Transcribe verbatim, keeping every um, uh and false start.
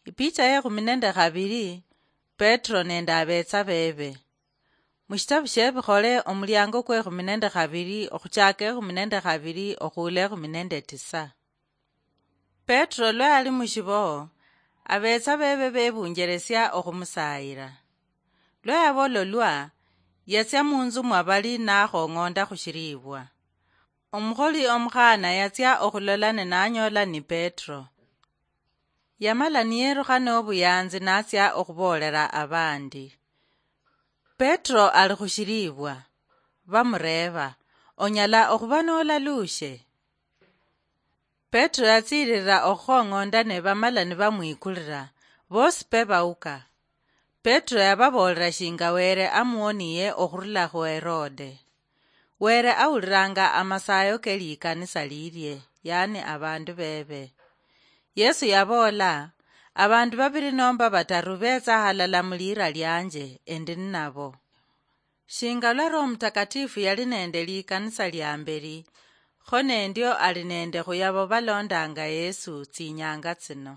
Ipicha ye khumi nende khabili. Petro nende abetsa bebe. Mushitabu shie Bikhole, omuliango kwe khumi nende khabili, okhuchaka ekhumi nende khabili okhuula ekhumi nende tisa. Petro lwa yali mushiboho, abetsa bebe bebunjeresia okhumusayira. Lwa yabololwa, yatsia munzu mwa bali nakhong'onda khushilibwa. Omukholi omukhana yatsia okhulola ne nanyola ni Petro. Yamala niyerukha nobuyanzi natsia okhubolera abandi. Petro ali khushilibwa. Bamureeba, "Onyala okhuba nolalushe?" Petro yatsiililila okhukhong'onda ne bamala nibamwikulila, bosi pe bauka. Petro yababoolera shinga Wele amuwoniye okhurula khu Herode. Wele awulilanga amasayo ke likanisa lilye, yani abandu bebe. Yesu yaboola, "Abandu babili nomba bataru betsa halala mu liira lianje, endi ninabo." Shinga lwa Roho Mutakatifu yali nende likanisa lia mbeli, kho nendio ali nende khuyabo balondanga Yesu tsinyanga tsino.